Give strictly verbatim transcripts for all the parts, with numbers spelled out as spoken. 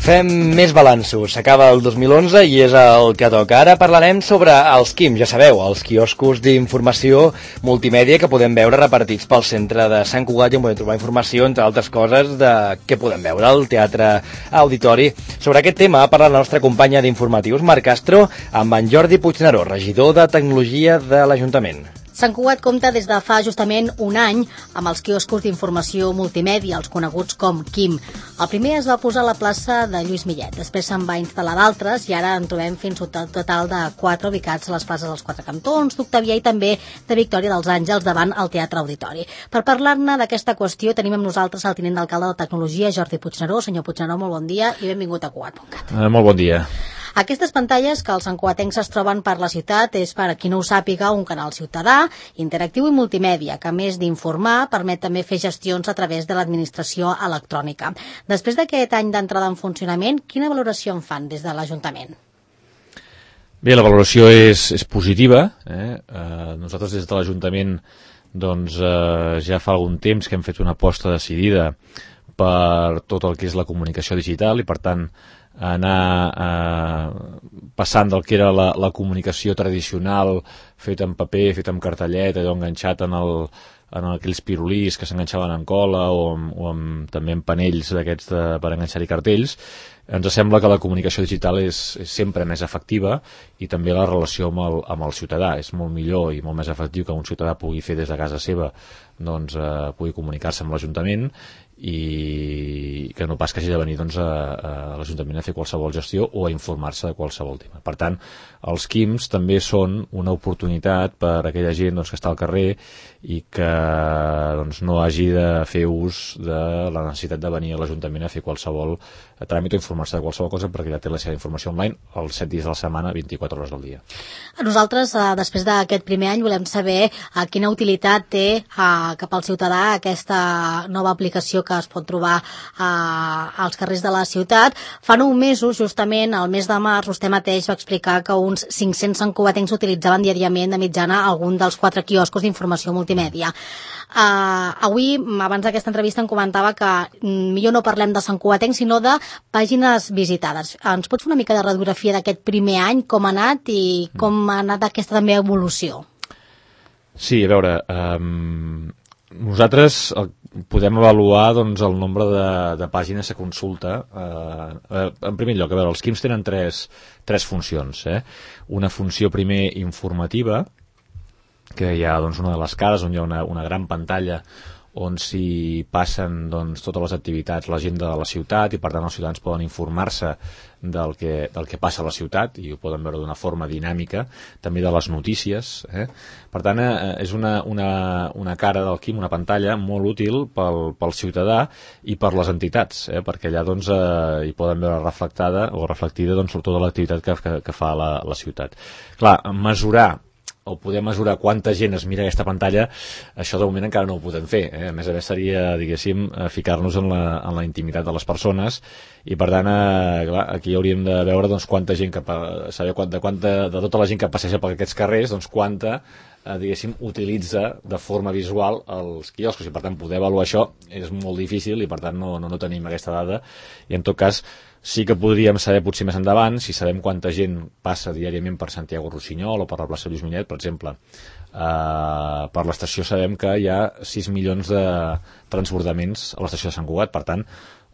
Fem més balanços. S'acaba el dos mil onze i és el que toca. Ara parlarem sobre els Q I M, ja sabeu, els quioscos d'informació multimèdia que podem veure repartits pel centre de Sant Cugat i on podem trobar informació, entre altres coses, de què podem veure al Teatre Auditori. Sobre aquest tema ha parlat la nostra companya d'informatius, Marc Castro, amb en Jordi Puigneró, regidor de Tecnologia de l'Ajuntament. Sant Cugat compta des de fa justament un any amb els quioscos d'informació multimèdia, els coneguts com Q I M. El primer es va posar a la plaça de Lluís Millet, després se'n va instal·lar d'altres i ara en trobem fins a un total de quatre ubicats a les places dels Quatre Cantons, d'Octavià i també de Victòria dels Àngels davant el Teatre Auditori. Per parlar-ne d'aquesta qüestió tenim amb nosaltres el tinent d'alcalde de Tecnologia, Jordi Puigneró. Senyor Puigneró, molt bon dia i benvingut a Cugat punt cat. Uh, molt bon dia. Aquestes pantalles que els santcugatencs es troben per la ciutat és, per a qui no ho sàpiga, un canal ciutadà, interactiu i multimèdia, que a més d'informar permet també fer gestions a través de l'administració electrònica. Després d'aquest any d'entrada en funcionament, quina valoració en fan des de l'Ajuntament? Bé, la valoració és, és positiva. Eh? Uh, nosaltres des de l'Ajuntament doncs, uh, ja fa algun temps que hem fet una aposta decidida per tot el que és la comunicació digital i, per tant, anar eh, passant del que era la, la comunicació tradicional feta en paper, feta en cartellet, allò enganxat en, el, en aquells pirulís que s'enganxaven en cola o, amb, o amb, també en panells d'aquests de, per enganxar-hi cartells. Ens sembla que la comunicació digital és, és sempre més efectiva i també la relació amb el, amb el ciutadà. És molt millor i molt més efectiu que un ciutadà pugui fer des de casa seva, doncs eh, pugui comunicar-se amb l'Ajuntament i que no pas que hagi de venir doncs, a, a l'Ajuntament a fer qualsevol gestió o a informar-se de qualsevol tema. Per tant, els Q I Ms també són una oportunitat per a aquella gent doncs, que està al carrer i que doncs, no hagi de fer ús de la necessitat de venir a l'Ajuntament a fer qualsevol tràmit o informar-se de qualsevol cosa, perquè ja té la seva informació online els set dies de la setmana, vint-i-quatre hores al dia. Nosaltres, eh, després d'aquest primer any, volem saber eh, quina utilitat té eh, cap al ciutadà aquesta nova aplicació que es pot trobar eh, als carrers de la ciutat. Fa nou mesos, justament, al mes de març, vostè mateix va explicar que uns cinc-cents santcugatencs utilitzaven diàriament de mitjana algun dels quatre quioscos d'informació multimèdia. Uh, avui, abans d'aquesta entrevista, em comentava que mm, millor no parlem de santcugatencs, sinó de pàgines visitades. Ens pots fer una mica de radiografia d'aquest primer any, com ha anat i com ha anat aquesta també evolució? Sí, a veure, um, nosaltres el, podem avaluar doncs, el nombre de, de pàgines a consulta. Uh, en primer lloc, a veure, els Q I Ms tenen tres, tres funcions. Eh? Una funció primer informativa, que hi ha doncs, una de les cares on hi ha una, una gran pantalla on s'hi passen doncs, totes les activitats, l'agenda de la ciutat, i per tant els ciutadans poden informar-se del que, del que passa a la ciutat i ho poden veure d'una forma dinàmica, també de les notícies. Eh? Per tant, eh, és una, una, una cara del Q I M, una pantalla molt útil pel, pel ciutadà i per les entitats, eh? perquè allà doncs, eh, hi poden veure reflectada o reflectida doncs, tota l'activitat que, que, que fa la, la ciutat. Clar, mesurar o poder mesurar quanta gent es mira aquesta pantalla, això de moment encara no ho podem fer. Eh? A més a més seria, diguéssim, ficar-nos en la, en la intimitat de les persones i per tant, eh, clar, aquí hauríem de veure doncs, quanta gent, que, saber quanta, de, quanta, de tota la gent que passeja per aquests carrers, doncs quanta, eh, diguéssim, utilitza de forma visual els quioscos i per tant poder avaluar això és molt difícil i per tant no, no, no tenim aquesta dada i en tot cas sí que podríem saber potser més endavant si sabem quanta gent passa diàriament per Santiago Rossinyol o per la plaça Lluís Millet, per exemple. Uh, per l'estació sabem que hi ha sis milions de transbordaments a l'estació de Sant Cugat, per tant,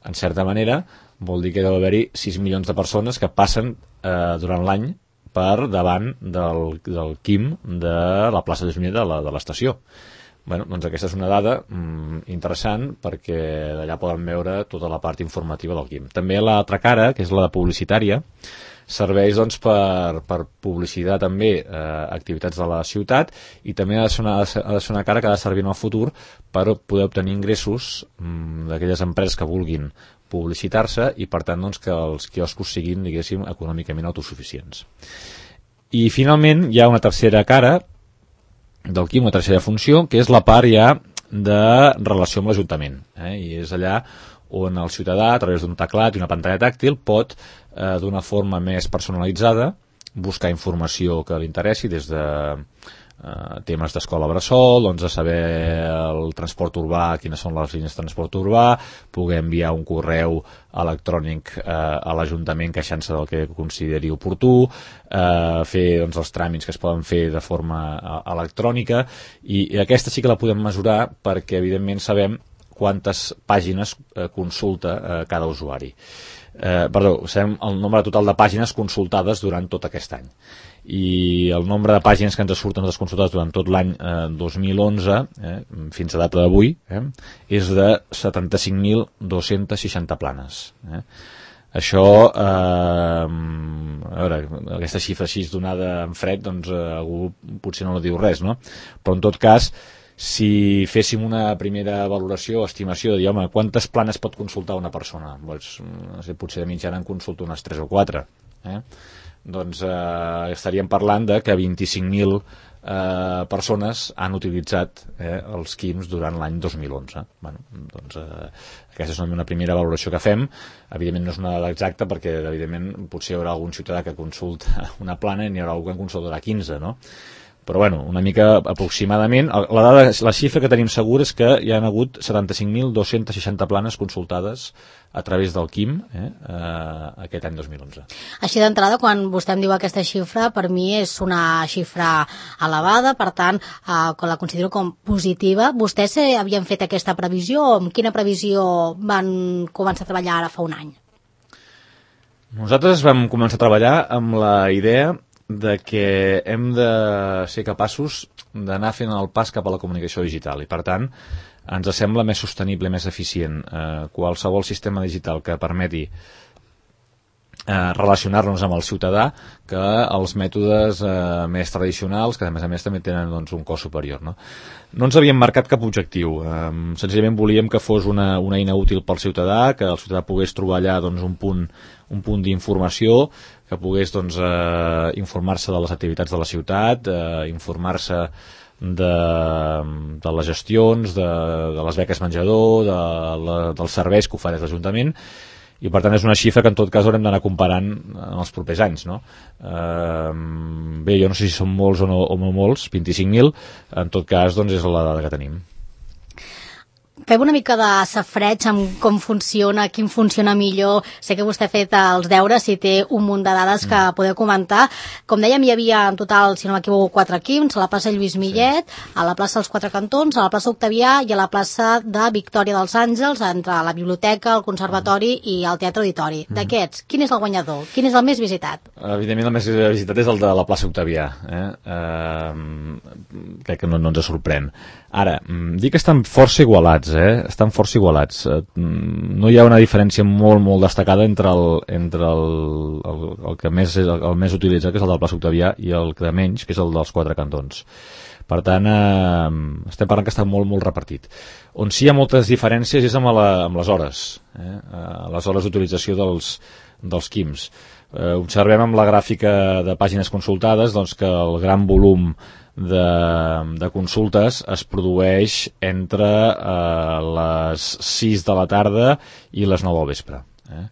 en certa manera, vol dir que deu haver-hi sis milions de persones que passen uh, durant l'any per davant del, del Q I M de la plaça Lluís Millet de l'estació. Bueno, doncs aquesta és una dada mm, interessant perquè d'allà poden veure tota la part informativa del Q I M. També l'altra cara, que és la publicitària, serveix doncs, per, per publicitar també eh, activitats de la ciutat i també ha de, ser una, ha de ser una cara que ha de servir en el futur per poder obtenir ingressos mm, d'aquelles empreses que vulguin publicitar-se i per tant doncs, que els quioscos siguin, diguéssim, econòmicament autosuficients. I finalment hi ha una tercera cara del Q I M, una tercera funció, que és la part ja de relació amb l'Ajuntament. Eh? I és allà on el ciutadà, a través d'un teclat i una pantalla tàctil, pot, eh, d'una forma més personalitzada, buscar informació que li interessi, des de eh, temes d'escola bressol, doncs de saber el transport urbà, quines són les línies de transport urbà, poder enviar un correu electrònic eh, a l'Ajuntament queixant-se del que consideri oportú, eh, fer doncs, els tràmits que es poden fer de forma eh, electrònica, i, i aquesta sí que la podem mesurar perquè evidentment sabem quantes pàgines eh, consulta eh, cada usuari. Eh, perdó, sabem el nombre total de pàgines consultades durant tot aquest any. I el nombre de pàgines que ens surten les consultades durant tot l'any eh, dos mil onze, eh, fins a data d'avui, eh, és de setanta-cinc mil dos-cents seixanta planes. Eh. Això, eh, a veure, aquesta xifra així donada en fred, doncs eh, algú potser no diu res, no? Però en tot cas, si féssim una primera valoració o estimació de dir, home, quantes planes pot consultar una persona? Doncs, no sé, potser de mitjana en consulta unes tres o quatre. Eh? Doncs eh, estaríem parlant de que vint-i-cinc mil eh, persones han utilitzat eh, els Quims durant l'any dos mil onze. Bueno, doncs, eh, aquesta és una primera valoració que fem. Evidentment no és una dada exacta perquè evidentment potser hi haurà algun ciutadà que consulta una plana i n'hi haurà algú que en consultarà quinze, no? Però bueno, una mica aproximadament, la, dada, la xifra que tenim segur és que hi ha hagut setanta-cinc mil dos-cents seixanta planes consultades a través del Quim eh, eh, aquest any dos mil onze. Així d'entrada, quan vostè em diu aquesta xifra, per mi és una xifra elevada, per tant, eh, la considero com positiva. Vostès eh, havien fet aquesta previsió o amb quina previsió van començar a treballar ara fa un any? Nosaltres vam començar a treballar amb la idea de que hem de ser capaços d'anar fent el pas cap a la comunicació digital i per tant ens sembla més sostenible, més eficient eh, qualsevol sistema digital que permeti eh, relacionar-nos amb el ciutadà que els mètodes eh, més tradicionals que a més a més també tenen doncs, un cost superior, no? No ens havíem marcat cap objectiu, eh, senzillament volíem que fos una, una eina útil pel ciutadà, que el ciutadà pogués trobar allà doncs, un punt, un punt d'informació, que pogués doncs, eh, informar-se de les activitats de la ciutat, eh, informar-se de, de les gestions, de, de les beques menjador, de la, dels serveis que ofereix l'Ajuntament, i per tant és una xifra que en tot cas haurem d'anar comparant en els propers anys, no? Eh, bé, jo no sé si són molts o no, o no molts, vint-i-cinc mil, en tot cas doncs és la dada que tenim. Fem una mica de safreig amb com funciona, quin funciona millor. Sé que vostè ha fet els deures i té un munt de dades que podeu comentar. Com dèiem, hi havia en total, si no m'equivoco, quatre Quims, a la plaça Lluís Millet, sí. A la plaça dels Quatre Cantons, a la plaça Octavià i a la plaça de Victòria dels Àngels, entre la biblioteca, el conservatori i el teatre auditori. Mm. D'aquests, quin és el guanyador? Quin és el més visitat? Evidentment el més visitat és el de la plaça Octavià. Eh? Eh, crec que no, no ens sorprèn. Ara, dic que estan força igualats, eh? Estan força igualats. No hi ha una diferència molt, molt destacada entre el, entre el, el, el que més és el, el més utilitzat, que és el del plaça Octavià, i el que menys, que és el dels Quatre Cantons. Per tant, eh, estem parlant que està molt, molt repartit. On sí hi ha moltes diferències és amb, la, amb les hores, eh? Les hores d'utilització dels, dels Quims. Eh, observem amb la gràfica de pàgines consultades doncs, que el gran volum de, de consultes es produeix entre eh, les sis de la tarda i les nou del vespre. Eh?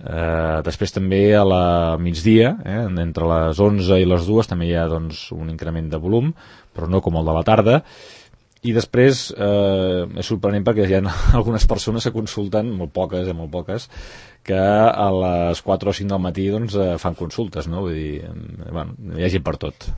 Eh, després també a la migdia, eh, entre les onze i les dues també hi ha doncs, un increment de volum, però no com el de la tarda. I després eh, és sorprenent perquè hi ha algunes persones que consulten, molt poques, eh, molt poques, que a les quatre o cinc del matí doncs, eh, fan consultes, no? Vull dir, eh, bueno, hi ha gent per tot.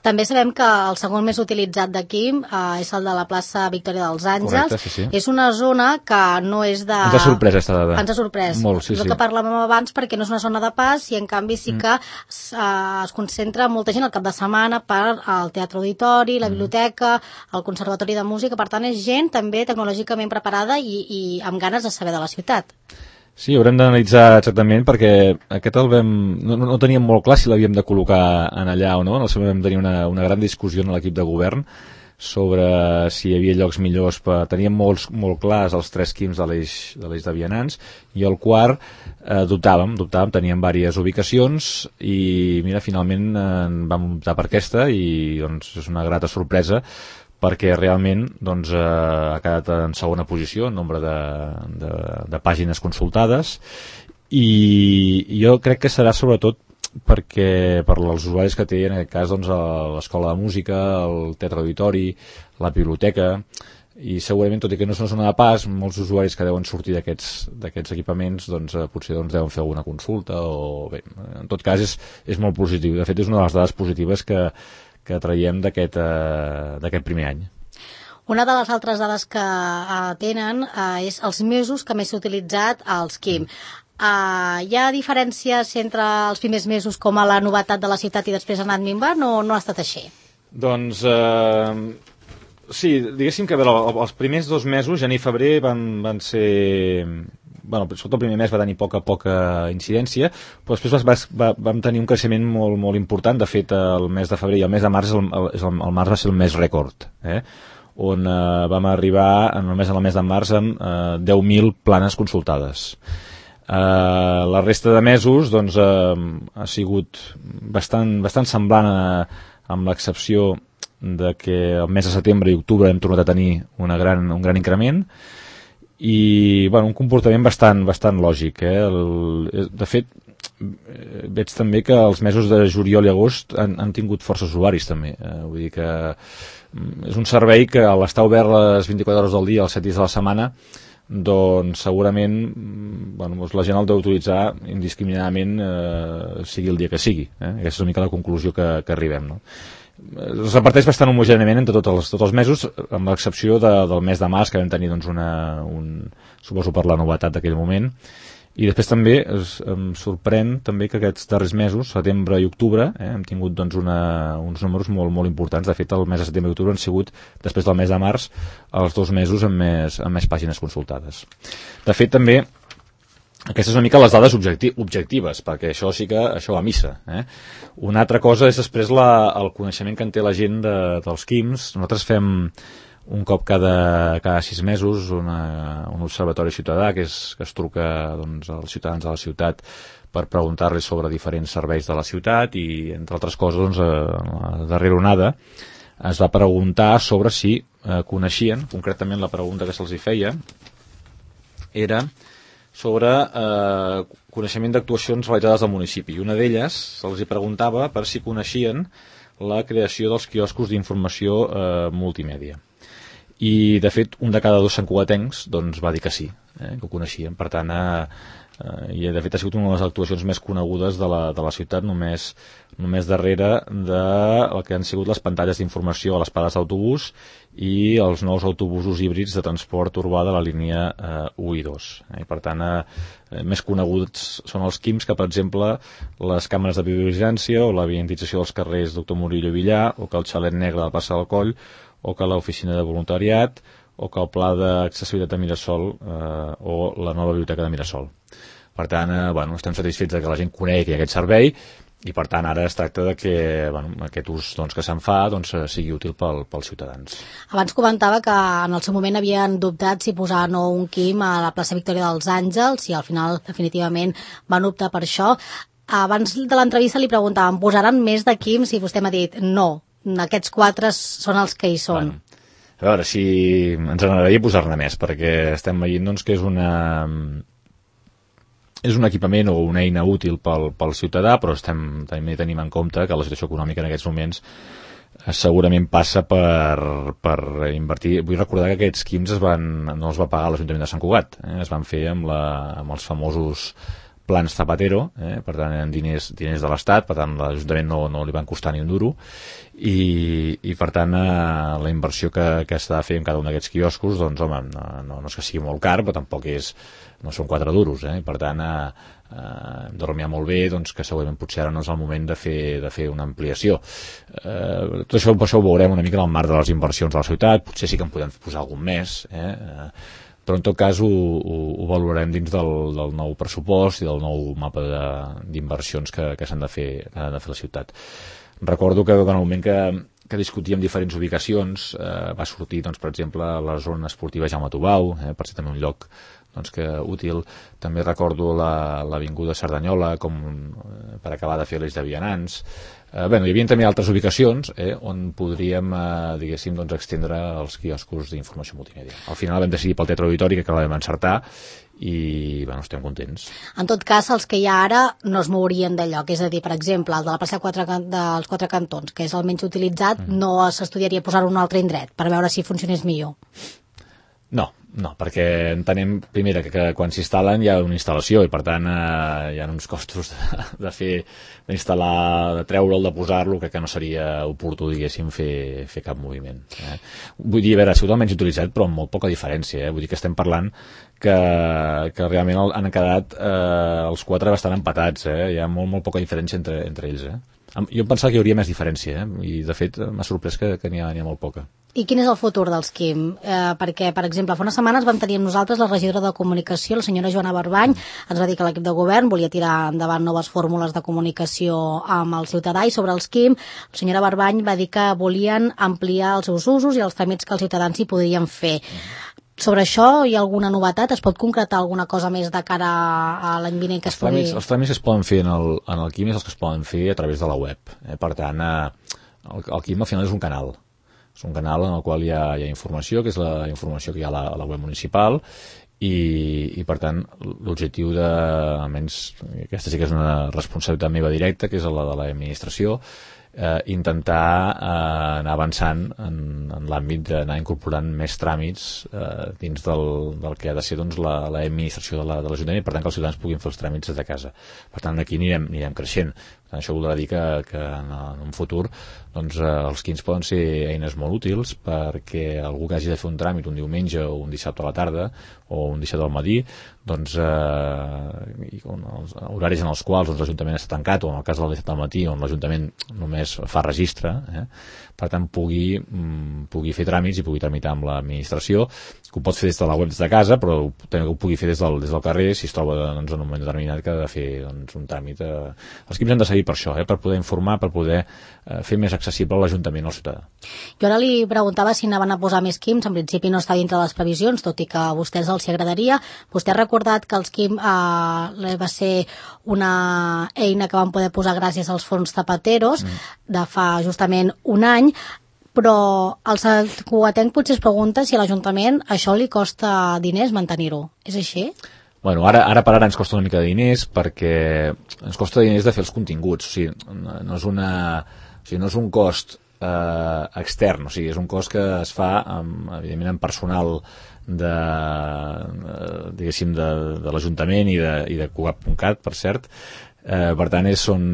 També sabem que el segon més utilitzat d'aquí eh, és el de la plaça Victòria dels Àngels. Correcte, sí, sí. És una zona que no és de... Ens ha sorprès aquesta dada. Ens ha sorprès. Molt, sí, és el sí. que parlàvem abans perquè no és una zona de pas i en canvi sí que mm. es, eh, es concentra molta gent al cap de setmana per al teatre auditori, la biblioteca, el conservatori de música. Per tant, és gent també tecnològicament preparada i, i amb ganes de saber de la ciutat. Sí, haurem d'analitzar exactament perquè aquest el vam, no, no teníem molt clar si l'havíem de col·locar en allà o no. En el seu moment vam tenir una, una gran discussió en l'equip de govern sobre si hi havia llocs millors. Per... Teníem molts, molt clars els tres Quims de l'eix de l'eix de vianants i el quart eh, dubtàvem, dubtàvem, teníem diverses ubicacions i mira, finalment eh, vam optar per aquesta i doncs, és una grata sorpresa perquè realment doncs, eh, ha quedat en segona posició en nombre de, de, de pàgines consultades i jo crec que serà sobretot perquè per als usuaris que té, en aquest cas, doncs, l'escola de música, el teatre auditori, la biblioteca, i segurament, tot i que no és una zona de pas, molts usuaris que deuen sortir d'aquests equipaments doncs, eh, potser doncs, deuen fer alguna consulta o bé, en tot cas és, és molt positiu. De fet, és una de les dades positives que, que traiem d'aquest eh, primer any. Una de les altres dades que uh, tenen uh, és els mesos que més s'ha utilitzat als Quim. Uh, hi ha diferències entre els primers mesos com a la novetat de la ciutat i després ha anat minvant o no ha estat així? Doncs eh, sí, diguéssim que veure, els primers dos mesos, gener i febrer, van, van ser... Bueno, sobretot el primer mes va tenir poca poca incidència, però després va, va, vam tenir un creixement molt, molt important. De fet, el mes de febrer i el mes de març, el, el, el març va ser el mes rècord, eh? on eh, vam arribar només en el mes de març amb eh, deu mil planes consultades. Eh, la resta de mesos doncs, eh, ha sigut bastant, bastant semblant a, amb l'excepció de que el mes de setembre i octubre hem tornat a tenir una gran, un gran increment i bueno, un comportament bastant, bastant lògic. Eh? El, de fet, veig també que els mesos de juliol i agost han, han tingut força usuaris també. Eh? Vull dir que és un servei que a l'estar obert les vint-i-quatre hores del dia, els set dies de la setmana, doncs segurament bueno, doncs la gent el deu utilitzar indiscriminadament eh, sigui el dia que sigui. Eh? Aquesta és una mica la conclusió que, que arribem, no? Es reparteix bastant homogèniament entre tots els, tots els mesos, amb l'excepció de, del mes de març, que vam tenir doncs, una, un, suposo per la novetat d'aquell moment. I després també es, em sorprèn també que aquests darrers mesos, setembre i octubre, eh, hem tingut doncs, una, uns números molt, molt importants. De fet, el mes de setembre i octubre han sigut, després del mes de març, els dos mesos amb més, amb més pàgines consultades. De fet, també, aquestes són una mica les dades objecti objectives, perquè això sí que això va a missa. Eh? Una altra cosa és després la, el coneixement que en té la gent de, dels Quims. Nosaltres fem un cop cada, cada sis mesos una, un observatori ciutadà que, és, que es truca doncs, als ciutadans de la ciutat per preguntar-los sobre diferents serveis de la ciutat i, entre altres coses, doncs, a la darrera onada es va preguntar sobre si eh, coneixien, concretament la pregunta que se'ls hi feia era sobre eh, coneixement d'actuacions realitzades al municipi. I una d'elles se'ls hi preguntava per si coneixien la creació dels quioscos d'informació eh, multimèdia. I, de fet, un de cada dos santcugatencs doncs, va dir que sí, eh, que ho coneixien. Per tant, eh, eh, i de fet ha sigut una de les actuacions més conegudes de la, de la ciutat, només, només darrere de el que han sigut les pantalles d'informació a les parades d'autobús i els nous autobusos híbrids de transport urbà de la línia eh, u i dos. Eh? I, per tant, eh, més coneguts són els Quims que, per exemple, les càmeres de videovigilància o la vientització dels carrers Doctor Murillo i Villar, o que el xalet negre de la plaça del Coll, o que l'oficina de voluntariat, o que el pla d'accessibilitat de Mirasol eh, o la nova biblioteca de Mirasol. Per tant, eh, bueno, estem satisfets que la gent conegui aquest servei i, per tant, ara es tracta de que bueno, aquest ús doncs, que se'n fa doncs, sigui útil pel, pels ciutadans. Abans comentava que en el seu moment havien dubtat si posar no un Quim a la plaça Victòria dels Àngels i al final definitivament van optar per això. Abans de l'entrevista li preguntàvem, posaran més de Quims? I vostè m'ha dit no, aquests quatre són els que hi són. Bueno, a veure, si ens agradaria posar-ne més, perquè estem veient doncs, que és una... és un equipament o una eina útil pel, pel ciutadà, però estem, també tenim en compte que la situació econòmica en aquests moments segurament passa per, per invertir. Vull recordar que aquests Quims es van, no els va pagar l'Ajuntament de Sant Cugat, eh? Es van fer amb, la, amb els famosos plans Zapatero, eh? Per tant eren diners, diners de l'Estat, per tant l'Ajuntament no, no li van costar ni un duro i, i per tant eh, la inversió que, que s'ha de fer en cada un d'aquests quioscos doncs home, no, no, no és que sigui molt car, però tampoc és, no són quatre duros, eh? Per tant eh, eh, hem de rumiar molt bé doncs, que segurament potser ara no és el moment de fer, de fer una ampliació. Eh, tot això, això ho veurem una mica en el marc de les inversions de la ciutat, potser sí que en podem posar algun més, eh? eh però en tot cas ho, ho, ho valorarem dins del, del nou pressupost i del nou mapa d'inversions que, que s'han de fer, que han de fer la ciutat. Recordo que en el moment que, que discutíem diferents ubicacions eh, va sortir, doncs, per exemple, la zona esportiva Jaume Tubau, eh, per ser també un lloc doncs, que útil. També recordo l'avinguda Cerdanyola com eh, per acabar de fer l'eix de vianants. Eh, bueno, hi havia també altres ubicacions eh, on podríem, eh, diguéssim, doncs, extendre els quioscos d'informació multimèdia. Al final vam decidir pel teatre auditori, que vam encertar, i bueno, estem contents. En tot cas, els que hi ha ara no es mourien de lloc, és a dir, per exemple, el de la plaça quatre, dels Quatre Cantons, que és el menys utilitzat, mm. no s'estudiaria posar-ho en un altre indret per veure si funcionés millor. No, no, perquè entenem, primera, que, que quan s'instal·len hi ha una instal·lació i, per tant, eh, hi ha uns costos de, de fer, d'instal·lar, de treure'l, de posar-lo, crec que no seria oportú, diguéssim, fer, fer cap moviment. Eh? Vull dir, a veure, ha sigut el menys utilitzat, però amb molt poca diferència, eh? Vull dir que estem parlant que, que realment han quedat eh, els quatre bastant empatats, eh? Hi ha molt, molt poca diferència entre, entre ells, eh? Jo em pensava que hi hauria més diferència, eh? I de fet m'ha sorprès que, que n'hi ha, n'hi ha molt poca. I quin és el futur dels Quim? Eh, perquè, per exemple, fa unes setmanes vam tenir amb nosaltres la regidora de comunicació, la senyora Joana Barbany, ens va dir que l'equip de govern volia tirar endavant noves fórmules de comunicació amb el ciutadà, i sobre els Quim, la senyora Barbany va dir que volien ampliar els seus usos i els tràmits que els ciutadans hi podrien fer. Sobre això hi ha alguna novetat? Es pot concretar alguna cosa més de cara a l'any vinent que es pugui... Els, els tràmits que es poden fer en el, en el Quim és els que es poden fer a través de la web. Eh? Per tant, eh, el, el Quim al final és un canal. És un canal en el qual hi ha, hi ha informació, que és la informació que hi ha a la, a la web municipal, i, i per tant l'objectiu de, almenys aquesta sí que és una responsabilitat meva directa, que és la de l'administració, eh, intentar eh, anar avançant en, en l'àmbit d'anar incorporant més tràmits eh, dins del, del que ha de ser doncs, l'administració de l'Ajuntament, la, per tant que els ciutadans puguin fer els tràmits des de casa. Per tant, aquí anirem, anirem creixent. Per tant, això voldrà dir que, que en, en un futur doncs, eh, els Quins poden ser eines molt útils perquè algú que hagi de fer un tràmit un diumenge o un dissabte a la tarda o un dissabte al matí, doncs eh, els horaris en els quals doncs, l'Ajuntament està tancat, o en el cas del dissabte al matí on l'Ajuntament només fa registre, eh, per tant pugui, mm, pugui fer tràmits i pugui tramitar amb l'administració, que ho pot fer des de la web des de casa, però també ho pugui fer des del, des del carrer si es troba doncs, en un moment determinat que ha de fer doncs, un tràmit. Eh. Els Quims han de servir per això, eh, per poder informar, per poder eh, fer més accessible l'Ajuntament al ciutadà. Jo ara li preguntava si anaven a posar més Quims, en principi no està dintre de les previsions, tot i que a vostès els hi agradaria. Vostè ha recordat que els Quim eh, va ser una eina que van poder posar gràcies als fons Zapateros mm. de fa justament un any, però el cugatenc potser es pregunta si a l'Ajuntament això li costa diners mantenir-ho. És així? Bueno, ara, ara per ara ens costa una mica de diners perquè ens costa diners de fer els continguts. O sigui, no és, una, o sigui, no és un cost eh, extern, o sigui, és un cost que es fa, amb, evidentment, amb personal de, diguéssim, de, de l'Ajuntament i de, i de Cugat punt cat, per cert. Eh, per tant, és un,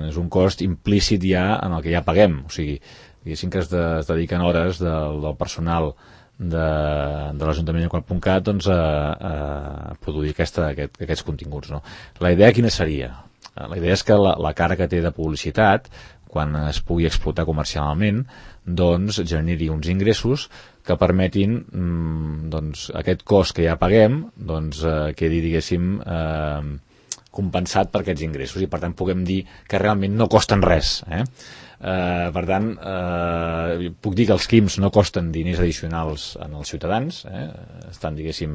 és un cost implícit ja en el que ja paguem. O sigui, diguéssim que es, de, es dediquen hores del, del personal de, de l'Ajuntament de Cugat punt cat doncs, a, a produir aquesta, aquest, aquests continguts. No? La idea quina seria? La idea és que la, la cara que té de publicitat, quan es pugui explotar comercialment, doncs generi uns ingressos que permetin mmm, doncs, aquest cost que ja paguem doncs, eh, quedi, diguéssim, eh, compensat per aquests ingressos i per tant puguem dir que realment no costen res. Eh? Uh, per tant, uh, puc dir que els Quims no costen diners addicionals en els ciutadans, eh? Estan, diguéssim,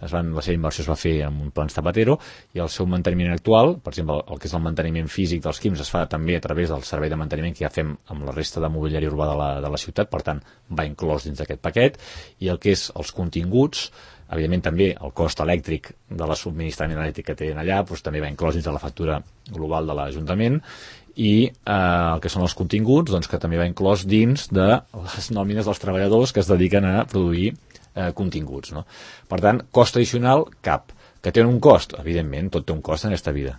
es van, la seva inversió es va fer amb un plan Zapatero i el seu manteniment actual, per exemple, el que és el manteniment físic dels Quims es fa també a través del servei de manteniment que ja fem amb la resta de mobiliari urbà de la, de la ciutat, per tant, va inclòs dins d'aquest paquet, i el que és els continguts, evidentment també el cost elèctric de la subministrament elèctric que tenen allà doncs, també va inclòs dins de la factura global de l'Ajuntament, i eh, el que són els continguts doncs, que també va inclòs dins de les nòmines dels treballadors que es dediquen a produir eh, continguts. No? Per tant, cost addicional, cap. Que té un cost? Evidentment, tot té un cost en aquesta vida.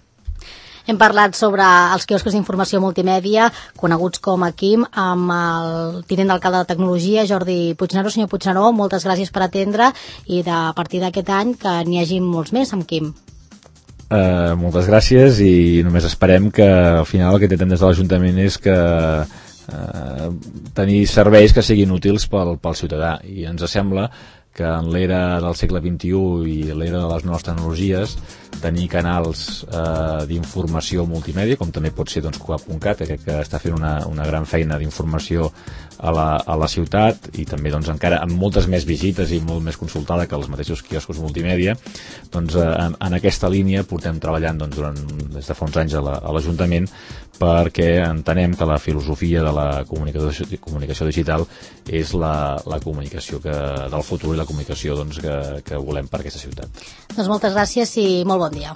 Hem parlat sobre els quioscos d'informació multimèdia, coneguts com a Quim, amb el tinent d'alcalde de Tecnologia, Jordi Puigneró. Senyor Puigneró, moltes gràcies per atendre i de, a partir d'aquest any que n'hi hagi molts més amb Quim. Uh, moltes gràcies i només esperem que al final el que intentem des de l'Ajuntament és que uh, tenir serveis que siguin útils pel, pel ciutadà, i ens sembla que en l'era del segle vint-i-u i l'era de les noves tecnologies tenir canals eh, d'informació multimèdia, com també pot ser doncs, Cugat punt cat, que, que està fent una, una gran feina d'informació a la, a la ciutat, i també doncs, encara amb moltes més visites i molt més consultada que els mateixos quioscos multimèdia. Doncs, eh, en, en aquesta línia portem treballant doncs, durant, des de fa uns anys a l'Ajuntament, perquè entenem que la filosofia de la comunicació, comunicació digital és la, la comunicació que, del futur i la la comunicació doncs, que, que volem per aquesta ciutat. Doncs moltes gràcies i molt bon dia.